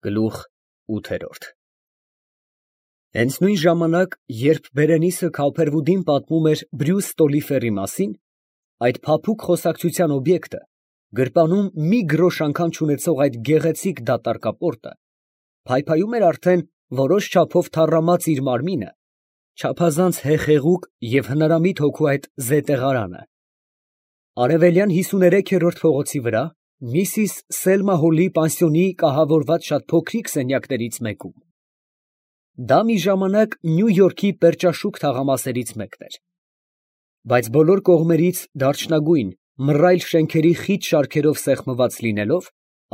Գլուխ 8 Հենց նույն ժամանակ, երբ Բերենիսը Քալփերվուդին պատմում էր Բրյուս Ստոլիֆերի մասին, այդ փափուկ խոսակցության օբյեկտը, գրպանում մի գրոշ անգամ չունեցող այդ գեղեցիկ դատարկապորտը, փայփայում էր արդեն որոշ չափով թառամած իր մարմինը, չափազանց հեխեղուկ և հնարամիտ հոգու այդ զետեղարանը, արևելյան 53-րդ փողոցի վրա, Միսիս Սելմա Հոլի պանսիոնի կահավորված շատ փոքրիկ սենյակներից մեկում. դա մի ժամանակ Նյու Յորքի պերճաշուք թաղամասերից մեկն էր, բայց բոլոր կողմերից դարչնագույն, մռայլ շենքերի խիտ շարքերով սեղմված լինելով,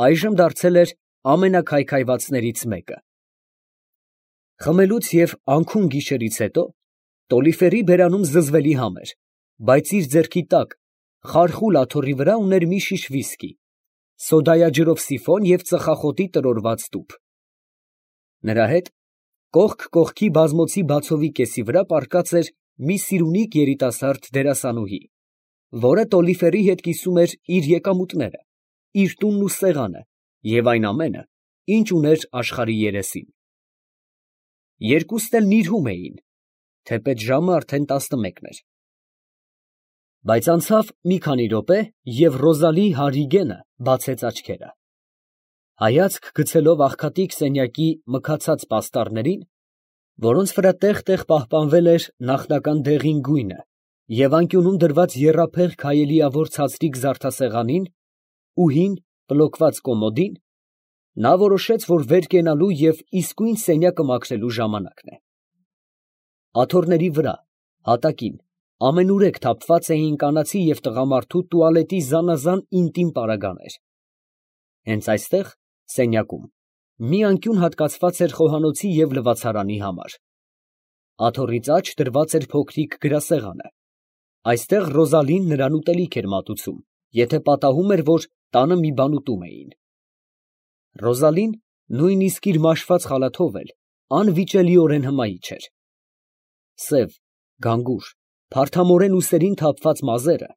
այժմ դարձել էր ամենաքայքայվածներից մեկը։ Խմելուց և անքուն գիշերից հետո Տոլիֆերի բերանում զզվելի համ էր, բայց իր ձեռքի տակ, խարխուլ աթոռի վրա ուներ մի շիշ վիսկի, սոդայաջրով սիֆոն և ծխախոտի տրորված տուփ։ Նրա հետ կողք կողքի բազմոցի բացովի կեսի վրա պառկած էր մի սիրունիկ երիտասարդ դերասանուհի, որը Տոլիֆերի հետ կիսում էր իր եկամուտները, իր տունն ու սեղանը և այն ամենը, ինչ ուներ աշխարհի երեսին։ Երկուսն էլ նիրհում էին, թեպետ ժամը արդեն 11 էր։ Բայց անցավ մի քանի րոպե, և Ռոզալի Հարրիգենը բացեց աչքերը։ Հայացք գցելով աղքատիկ սենյակի մքացած պաստառներին, որոնց վրա տեղ֊տեղ պահպանվել էր նախնական դեղին գույնը, և անկյունում դրված եռափեղ քայելիավոր ցածրիկ զարդասեղանին ու հին պլոկված կոմոդին, նա որոշեց, որ վեր կենալու և իսկույն սենյակը մաքրելու ժամանակն է։ Աթոռների վրա, հատակին, ամենուրեք թափված էին կանացի և տղամարդու տուալետի զանազան ինտիմ պարագաներ։ Հենց այստեղ, սենյակում, մի անկյուն հատկացված էր խոհանոցի և լվացարանի համար։ Աթոռից աջ դրված էր փոքրիկ գրասեղանը։ Այստեղ Ռոզալին նրան ուտելիք էր մատուցում, եթե պատահում էր, որ տանը մի բան ուտում էին։ Ռոզալին նույնիսկ իր մաշված խալաթով էլ անվիճելիորեն հմայիչ էր։ Սև, գանգուր, փարթամորեն ուսերին թափված մազերը,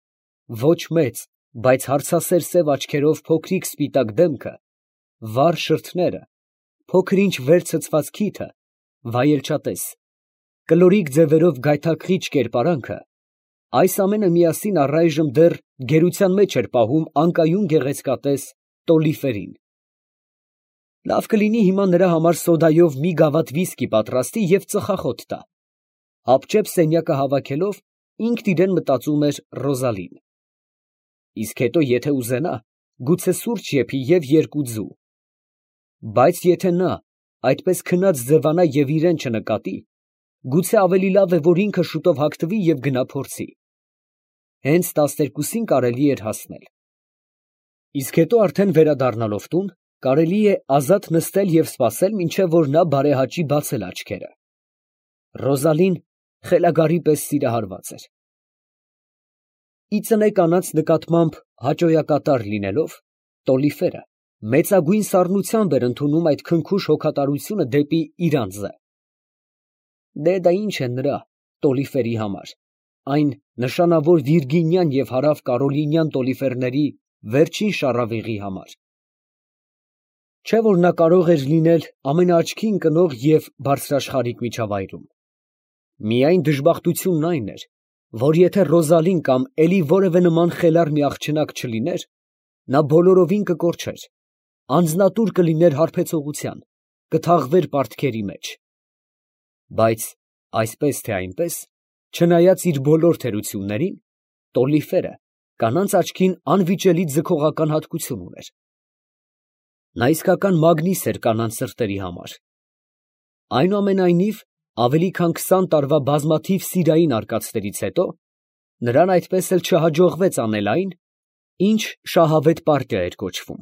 ոչ մեծ, բայց հարցասեր սև աչքերով փոքրիկ սպիտակ դեմքը, վառ շրթները, փոքր ինչ վեր ցցված քիթը, վայելչատես, կլորիկ ձևերով գայթակղիչ կերպարանքը, այս ամենը միասին առայժմ դեռ գերության մեջ էր պահում անկայուն գեղեցկատես Տոլիֆերին։ Լավ կլինի հիմա նրա համար սոդայով մի գավաթ վիսկի պատրաստի և ծխախոտ տա։ Հապճեպ սենյակը հավաքելով, ինքն իրան մտածում էր Ռոզալին։ Իսկ հետո եթե ուզենա, գուցե սուրճ եփի և երկու ձու։ Բայց եթե նա այդպես քնած ձևանա և իրան չնկատի, գուցե ավելի լավ է, որ ինքը շուտով հագնվի և գնա փորձի։ Հենց 12-ին կարելի էր հասնել։ Իսկ հետո արդեն վերադառնալով տուն, կարելի է ազատ նստել և սպասել, մինչև որ նա բարեհաճի բացել աչքերը։ Ռոզալին խելագարի պես սիրահարված էր։ Ի ծնե կանանց նկատմամբ հաճոյակատար լինելով, Տոլիֆերը մեծագույն սառնությամբ էր ընդունում այդ քնքուշ հոգատարությունը դեպի իր անձը։ Դա ինչ է նրա, Տոլիֆերի համար, այն նշանավոր վիրգինյան և հարավ կարոլինյան Տոլիֆերների վերջին շառավիղի համար։ Չէ՞ որ նա կարող էր լինել ամենաաչքի ընկնող և բարձրաշխարհիկ միջավայրում։ Միայն դժբախտությունն այն էր, որ եթե Ռոզալին կամ էլի որևէ նման խելառ մի աղջնակ չլիներ, նա բոլորովին կկորչեր, անձնատուր կլիներ հարբեցողության, կթաղվեր պարտքերի մեջ։ Բայց այսպես թե այնպես, չնայած իր բոլոր թերություններին, Տոլիֆերը կանանց աչքին անվիճելի ձգողական հատկություն ուներ։ Նա իսկական մագնիս էր կանանց սրտերի համար։ Այնուամենայնիվ, ավելի քան 20 տարվա բազմաթիվ սիրային արկածներից հետո, նրան այդպես էլ չհաջողվեց անել այն, ինչ շահավետ պարտիա էր կոչվում։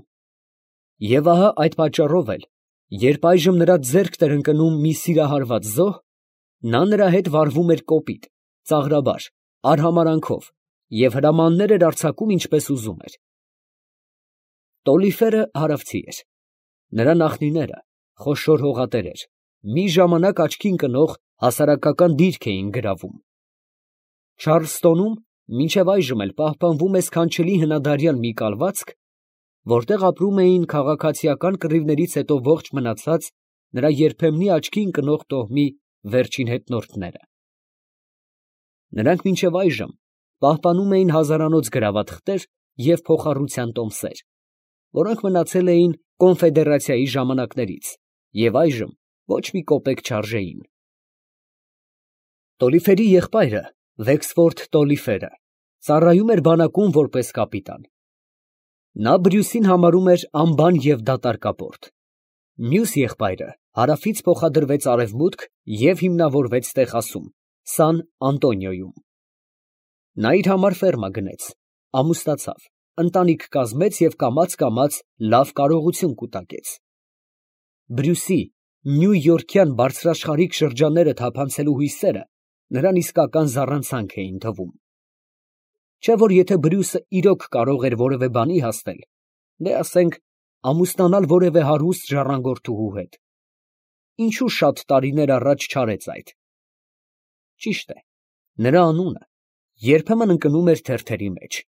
Եվ ահա այդ պատճառով էլ, երբ այժմ նրա ձեռքն էր ընկնում մի սիրահարված զոհ, նա նրա հետ վարվում էր կոպիտ, ծաղրաբար, արհամարանքով և հրամաններ էր արձակում ինչպես ուզում էր։ Տոլիֆերը հարավցի էր։ Նրա նախնիները, խոշոր հողատերեր, մի ժամանակ աչքի ընկնող հասարակական դիրք էին գրավում։ Չարլստոնում մինչև այժմ էլ պահպանվում է սքանչելի հնադարյան մի կալվածք, որտեղ ապրում էին քաղաքացիական կռիվներից հետո ողջ մնացած նրա երբեմնի աչքի ընկնող տոհմի վերջին հետնորդները։ Նրանք մինչև այժմ պահպանում էին հազարանոց գրավաթղթեր և փոխառության տոմսեր, որոնք մնացել էին կոնֆեդերացիայի ժամանակներից և այժմ ոչ մի կոպեկ չարժեին։ Տոլիֆերի եղբայրը, Վեքսֆորդ Տոլիֆերը, ծառայում էր բանակում որպես կապիտան։ Նա Բրյուսին համարում էր անբան և դատարկապորտ։ Մյուս եղբայրը հարավից փոխադրվեց արևմուտք և հիմնավորվեց Տեխասում, Սան Անտոնիոյում։ Նա իր համար ֆերմա գնեց, ամուսնացավ, ընտանիք կազմեց և կամաց լավ կարողություն կուտակեց։ Բրյուսի Նյու Յորքյան բարձրաշխարհիկ շրջանները թափանցելու հույսերը նրան իսկական զառանցանք էին թվում։ Չէ՞ որ եթե Բրյուսը իրոք կարող էր որևէ բանի հասնել, դե ասենք ամուսնանալ որևէ հարուստ ժառանգորդուհու հետ, ինչու շատ տարիներ առաջ չարեց այդ։ Ճիշտ է, նրա անունը երբեմն ընկնում էր թերթերի մեջ։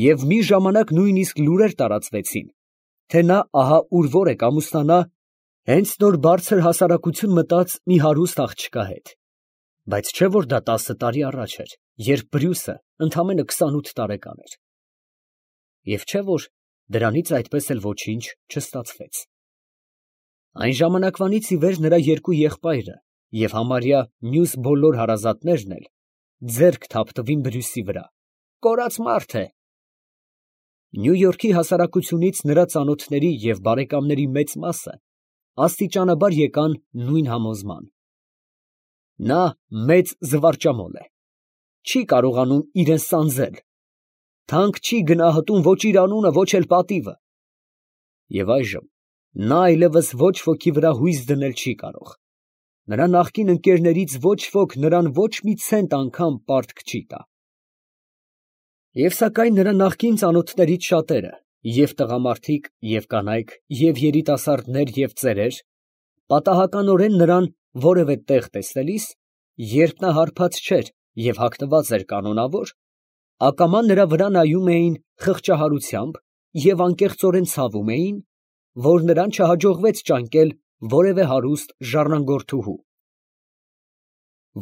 Եվ մի ժամանակ նույնիսկ լուրեր տարածվեցին, թե նա ահա ուր որ է կամուսնանա հենց նոր բարձր հասարակություն մտած մի հարուստ աղջկա հետ։ Բայց չէ՞ որ դա 10 տարի առաջ էր, երբ Բրյուսը ընդամենը 28 տարեկան էր։ Եվ չէ՞ որ դրանից այդպես էլ ոչինչ չստացվեց։ Այն ժամանակվանից ի վեր նրա երկու եղբայրը և համարյա մյուս բոլոր հարազատներն էլ ձեռք թափտվին Բրյուսի վրա, կորած մարդ է։ Նյու Յորքի հասարակությունից նրա ծանոթների և բարեկամների մեծ մասը աստիճանաբար եկան նույն համոզման. նա մեծ զվարճամոլ է, չի կարողանում իրան սանձել, թանկ չի գնահատում ոչ իր անունը, ոչ էլ պատիվը։ Եվ այժմ նա այլևս ոչ ոքի վրա հույս դնել չի կարող, նրա նախկին ընկերներից ոչ ոք նրան ոչ մի ցենտ անգամ պարտք չի տա։ Եվ սակայն նրա նախկին ծանոթներից շատերը, և տղամարդիկ, և կանայք, և երիտասարդներ, և ծերեր, պատահականորեն նրան որևէ տեղ տեսնելիս, երբ նա հարբած չէր և հագնված էր կանոնավոր, ակամա նրա վրա նայում էին խղճահարությամբ և անկեղծորեն ցավում էին, որ նրան չհաջողվեց ճանկել որևէ հարուստ ժառանգորդուհու։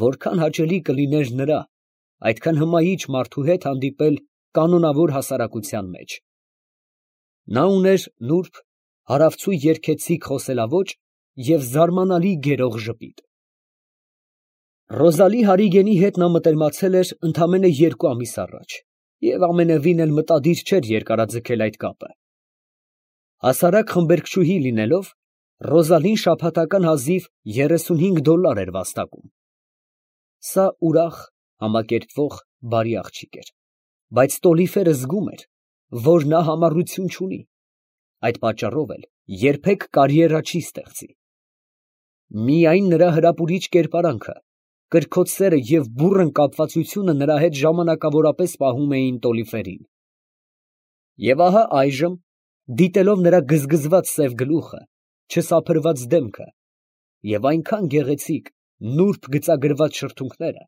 Որքան հաճելի կլիներ նրա այդքան հմայիչ մարդու հետ հանդիպել կանոնավոր հասարակության մեջ։ Նա ուներ նուրբ, հարավցու երգեցիկ խոսելաոճ և զարմանալի գերող ժպիտ։ Ռոզալի Հարիգենի հետ նա մտերմացել էր ընդամենը 2 ամիս առաջ և ամենևին էլ մտադիր չէր երկարաձգել այդ կապը։ Հասարակ խմբերգչուհի լինելով, Ռոզալին շաբաթական հազիվ $35 էր վաստակում։ Սա ուրախ, համակերպվող, բարի աղջիկ էր, բայց Տոլիֆերը զգում էր, որ նա համառություն չունի, այդ պատճառով էլ երբեք կարիերա չի ստեղծի։ Միայն նրա հրապուրիչ կերպարանքը, կրքոտ սերը և բուռն կապվածությունը նրա հետ ժամանակավորապես պահում էին Տոլիֆերին։ Եվ ահա այժմ, դիտելով նրա գզգզված սև գլուխը, չսափրված դեմքը և այնքան գեղեցիկ, նուրբ գծագրված շրթունքները,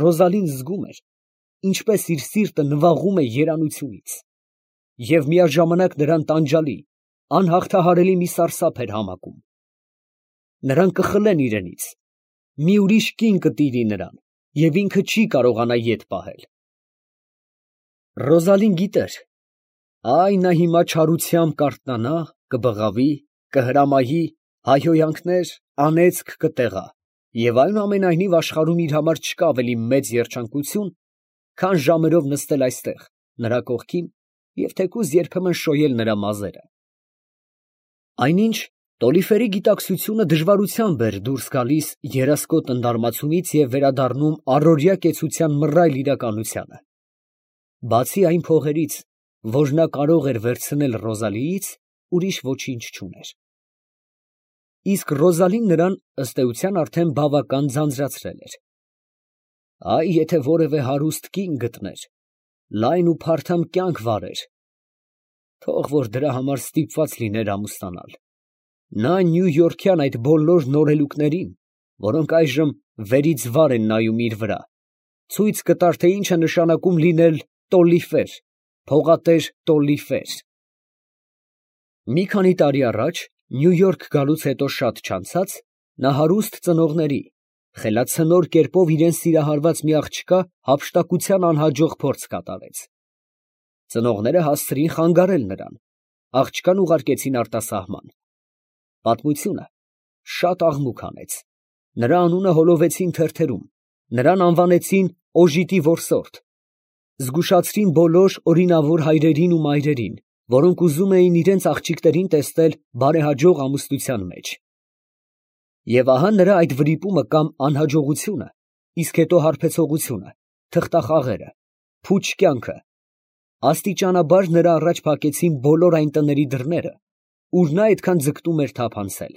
Ռոզալին զգում էր, ինչպես իր սիրտը նվաղում է երանությունից, և միաժամանակ նրան տանջալի, անհաղթահարելի մի սարսափ էր համակում։ Նրան կխլեն իրենից, մի ուրիշ կին կտիրի նրան, և ինքը չի կարողանա ետ պահել։ Ռոզալին գիտեր, այ նա հիմա չարությամբ կարթնանա, կբղավի, կհրամայի, հայհոյանքներ, անեծք կտեղա, և այնուամենայնիվ աշխարհում իր համար չկա ավելի մեծ երջանկություն, քան ժամերով նստել այստեղ, նրա կողքին և թեկուզ երբեմն շոյել նրա մազերը։ Այնինչ Տոլիֆերի գիտակցությունը դժվարությամբ էր դուրս գալիս երասկոտ ընդարմացումից և վերադառնում առօրյա կեցության մռայլ իրականությանը։ Բացի այն փողերից, որ նա կարող էր վերցնել Ռոզալիից, ուրիշ ոչինչ չուներ։ Իսկ Ռոզալին նրան, ըստ էության, արդեն բավական ձանձրացրել էր։ Այ եթե որևէ հարուստ կին գտներ, լայն ու փարթամ կյանք վարեր, թող որ դրա համար ստիպված լիներ ամուսնանալ, նա Նյու Յորքյան այդ բոլոր նորելուկներին, որոնք այժմ վերից վար են նայում իր վրա, ցույց կտար, թե ինչ է նշանակում լինել Տոլիֆեր, Փողատեր Տոլիֆեր։ Մի քանի տարի առաջ Նյու Յորք գալուց հետո շատ չանցած, նա հարուստ ծնողների, խելացնոր կերպով իրեն սիրահարված մի աղջկա հափշտակության անհաջող փորձ կատարեց։ Ծնողները հասցրին խանգարել նրան, աղջկան ուղարկեցին արտասահման։ Պատմությունը շատ աղմուկ հանեց, նրա անունը հոլովեցին թերթերում, նրան անվանեցին օժիտի որսորդ, զգուշացրին բոլոր օրինավոր հայրերին ու մայրերին, որոնք ուզում էին իրենց աղջիկներին տեսնել բարեհաջող ամուսնության մեջ։ Եվ ահա նրա այդ վրիպումը կամ անհաջողությունը, իսկ հետո հարբեցողությունը, թղթախաղերը, փուչ կյանքը, աստիճանաբար նրա առաջ փակեցին բոլոր այն տների դռները, ուր նա այդքան ձգտում էր թափանցել։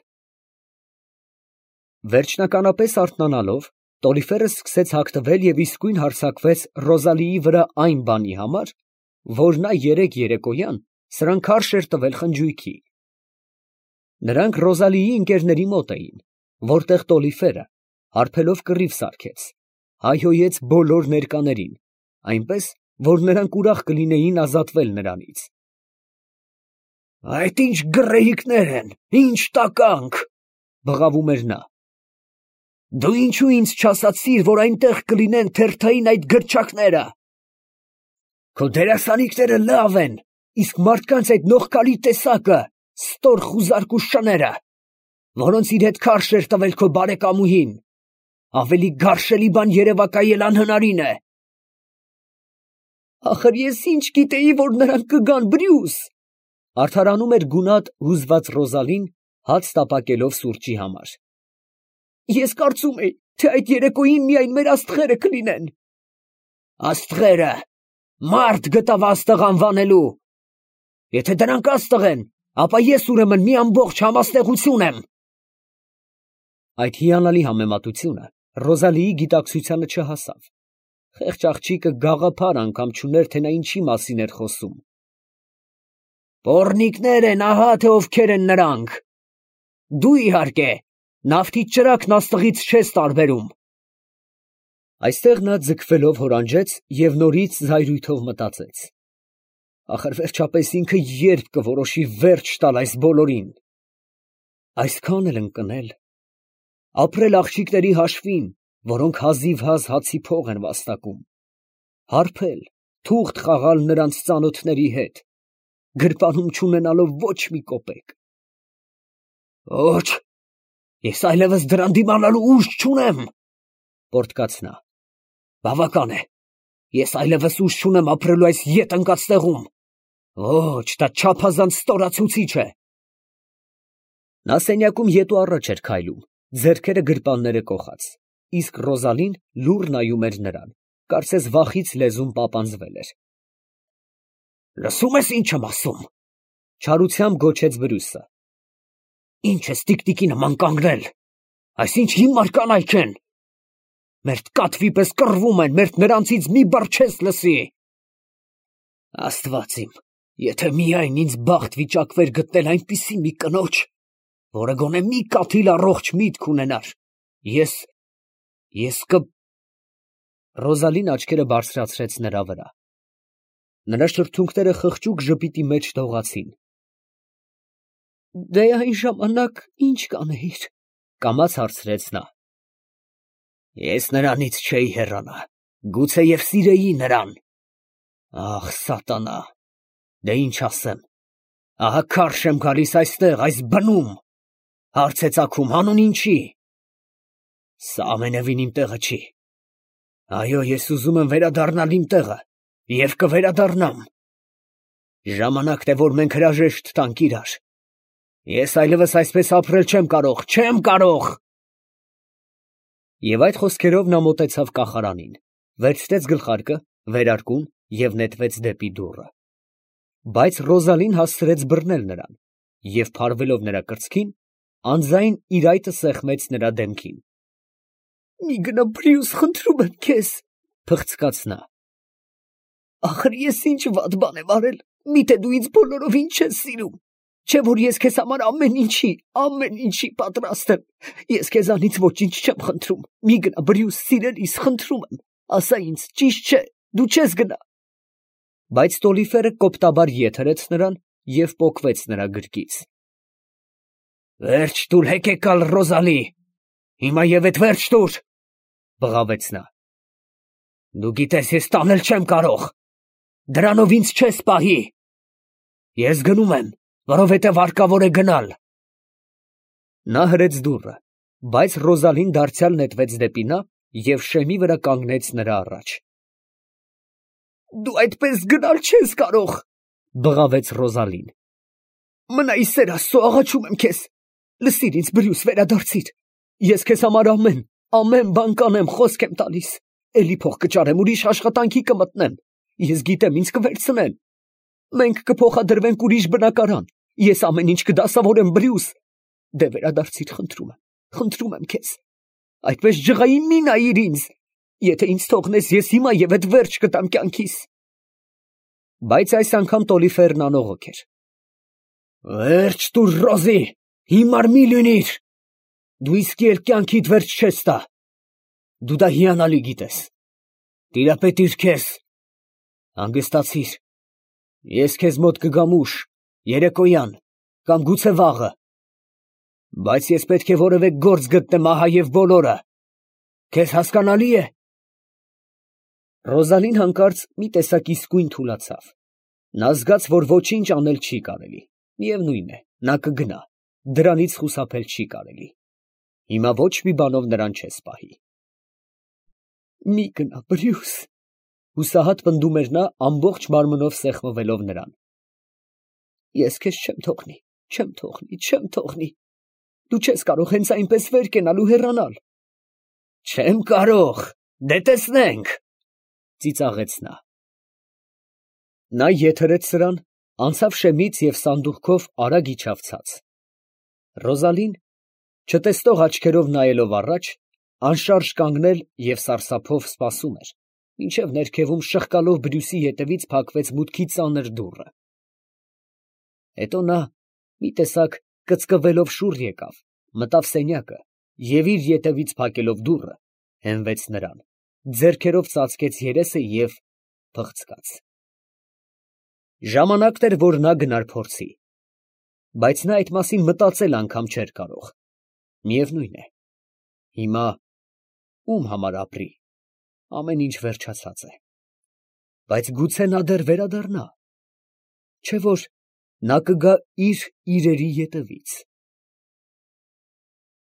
Վերջնականապես արթնանալով, Տոլիֆերը սկսեց հագտվել և իսկույն հարձակվեց Ռոզալիի վրա այն բանի համար, որ նա երեկ երեկոյան սրան քարշ էր տվել խնջույքի։ Նրանք Ռոզալիի ընկերների մոտ էին, որտեղ Տոլիֆերը, հարբելով կռիվ սարքեց, հայհոյեց բոլոր ներկաներին, այնպես, որ նրանք ուրախ կլինեին ազատվել նրանից։ «Այդ ի՞նչ գռեհիկներ են, ի՞նչ տականք», բղավում էր նա։ «Դու ինչու ինձ չասացիր, որ այնտեղ կլինեն թերթային այդ գրչակները։ Քո դերասանիկները լավ են, իսկ մարդկանց այդ նողկալի տեսակը, ստոր խուզարկու շները, որոնց իր հետ քարշ էր տվել քո բարեկամուհին, ավելի գարշելի բան երևակայել անհնարին է»։ «Ախր ես ինչ գիտեի, որ նրանք կգան, Բրյուս», արդարանում էր գունատ հուզված Ռոզալին, հաց տապակելով սուրճի համար։ «Ես կարծում էի, թե այդ երեկոյին միայն մեր աստղերը կլինեն»։ «Աստղերը, մարդ գտավ աստղ անվանելու։ Եթե դրանք աստղ են, ապա ես ուրեմն մի ամբողջ համաստեղություն եմ»։ Այդ հիանալի համեմատությունը Ռոզալիի գիտակցությանը չհասավ։ Խեղճ աղջիկը գաղափար անգամ չուներ, թե նա ինչի մասին էր խոսում։ «Պոռնիկներ են, ահա թե ովքեր են նրանք։ Դու, իհարկե, նավթի ճրագն աստղից չես տարբերում»։ Այստեղ նա ձգվելով հորանջեց և նորից զայրույթով մտածեց. ախր վերջապես ինքը երբ կորոշի վերջ տալ այս բոլորին։ Այսքան էլ ընկնել, ապրել աղջիկների հաշվին, որոնք հազիվհազ հացի փող են վաստակում, հարբել, թուղթ խաղալ նրանց ծանոթների հետ, գրպանում չունենալով ոչ մի կոպեկ։ «Ոչ, ես այլևս դրան դիմանալու ուժ չունեմ», պոռթկաց նա։ «Բավական է, ես այլևս ուժ չունեմ ապրելու այս ետ ընկած տեղում։ Ոչ, դա չափազանց ստորացուցիչ է»։ Նա սենյակում ետու առաջ էր քայլում, ձեռքերը գրպանները կոխած, իսկ Ռոզալին լուռ նայում էր նրան, կարծես վախից լեզուն պապանձվել էր։ «Լսում ես ինչ եմ ասում», չարությամբ գոչեց Բրյուսը։ «Ինչ ես տիկտիկի նման կանգնել, այսինչ հիմար կանայք են։ Մերթ կատվի պես կռվում են, մերթ նրանցից մի բառ չես լսի։ Աստված իմ, եթե միայն ինձ բախտ վիճակվեր գտնել այնպիսի մի կնոջ, որը գոնե մի կաթիլ առողջ միտք ունենար, ես Ռոզալին աչքերը բարձրացրեց նրա վրա։ Նրա շրթունքները խղճուկ ժպիտի մեջ դողացին։ «Դե այն ժամանակ ի՞նչ կանեիր», կամաց հարցրեց նա։ «Ես նրանից չէի հեռանա, գուցեև սիրեի նրան։ Ախ, սատանա, դե ինչ ասեմ, ահա քարշ եմ գալիս այստեղ, այս բնում, հարց է ծագում, հանուն ինչի։ Սա ամենևին իմ տեղը չի։ Այո, ես ուզում եմ վերադառնալ իմ տեղը և կվերադառնամ։ Ժամանակն է, որ մենք հրաժեշտ տանք իրար։ Ես այլևս այսպես ապրել չեմ կարող։ Եվ այդ խոսքերով նա մոտեցավ կախարանին, վերցրեց գլխարկը, վերարկուն և նետվեց դեպի դուռը։ Բայց Ռոզալին հասցրեց բռնել նրան և, փարվելով նրա կրծքին, անձայն իր այտը սեղմեց նրա դեմքին։ «Մի գնա, Բրյուս, խնդրում եմ քեզ», փխցկաց նա։ «Ախր ես ինչ վատ բան եմ արել, միթե դու ինձ բոլորովին չես սիրում, չէ՞ որ ես քեզ համար ամեն ինչի պատրաստ եմ։ Ես քեզանից ոչինչ չեմ խնդրում, մի գնա, Բրյուս, սիրելիս, խնդրում եմ, ասա ինձ, ճիշտ չէ, դու չես գնա»։ Բայց Տոլիֆերը կոպտաբար ետ հրեց նրան և պոկվեց նրա գրկից։ «Վերջ տուր հեկեկալ, Ռոզալի, հիմա և էդ վերջ տուր», բղավեց նա։ «Դու գիտես, ես տանել չեմ կարող, դրանով ինձ չես պահի։ Ես գնում եմ, որովհետև հարկավոր է գնալ»։ Նա հրեց դուռը, բայց Ռոզալին դարձյալ նետվեց դեպի նա և շեմի վրա կանգնեց նրա առաջ։ «Դու այդպես գնալ չես կարող», բղավեց Ռոզալին։ «Մնա ի սեր Աստծո, աղաչում եմ քեզ, լսիր ինձ, Բրյուս, վերադարձիր, ես քեզ համար ամեն բան կանեմ, խոսք եմ տալիս, էլի փող կճարեմ, ուրիշ աշխատանքի կմտնեմ, ես գիտեմ, ինձ կվերցնեն, մենք կփոխադրվենք ուրիշ բնակարան, ես ամեն ինչ կդասավորեմ, Բրյուս, դե վերադարձիր, խնդրում եմ քեզ, այդպես ջղային մի նայիր ինձ, եթե ինձ թողնես, ես հիմա և էդ վերջ կտամ կյանքիս»։ Բայց այս անգամ Տոլիֆերն անողոք էր։ «Վերջ տուր, Ռոզի, հիմար մի լինիր, դու իսկի էլ կյանքիդ վերջ չես տա, դու դա հիանալի գիտես, տիրապետիր քեզ, հանգստացիր, ես քեզ մոտ կգամ ուշ, երեկոյան, կամ գուցե վաղը, բայց ես պետք է որևէ գործ գտնեմ ահա և բոլորը, քեզ հասկանալի է»։ Ռոզալին հանկարծ մի տեսակ իսկույն թուլացավ, նա զգաց, որ ոչինչ անել չի կարելի, միևնույն է, նա կգնա, դրանից խուսափել չի կարելի, հիմա ոչ մի բանով նրան չես պահի։ «Մի գնա, Բրյուս», հուսահատ պնդում էր նա, ամբողջ մարմնով սեղմվելով նրան։ «Ես քեզ չեմ թողնի, դու չես կարող հենց այնպես վեր կենալ ու հեռանալ»։ «Չեմ կարող, դե տեսնենք», ծիծաղեց նա։ Նա ետ հրեց սրան, անցավ շեմից և սանդուղքով արագ իջավ ցած։ Ռոզալին, չտեսնող աչքերով նայելով առաջ, անշարժ կանգնել և սարսափով սպասում էր, մինչև ներքևում շղկալով Բրյուսի ետևից փակվեց մուտքի ծանր դուռը։ Հետո նա, մի տեսակ կծկվելով շուռ եկավ, մտավ սենյակը և իր ետևից փակելով դուռը, հենվեց նրան, ձեռքերով ծածկեց երեսը և փղցկաց։ Ժամանակն էր, որ նա գնար փորձի, բայց նա այդ մասին մտածել անգամ չէր կարող։ Միևնույն է, հիմա ում համար ապրի, ամեն ինչ վերջացած է, բայց գուցե նա դեռ վերադառնա, չէ՞ որ նա կգա իր իրերի ետևից։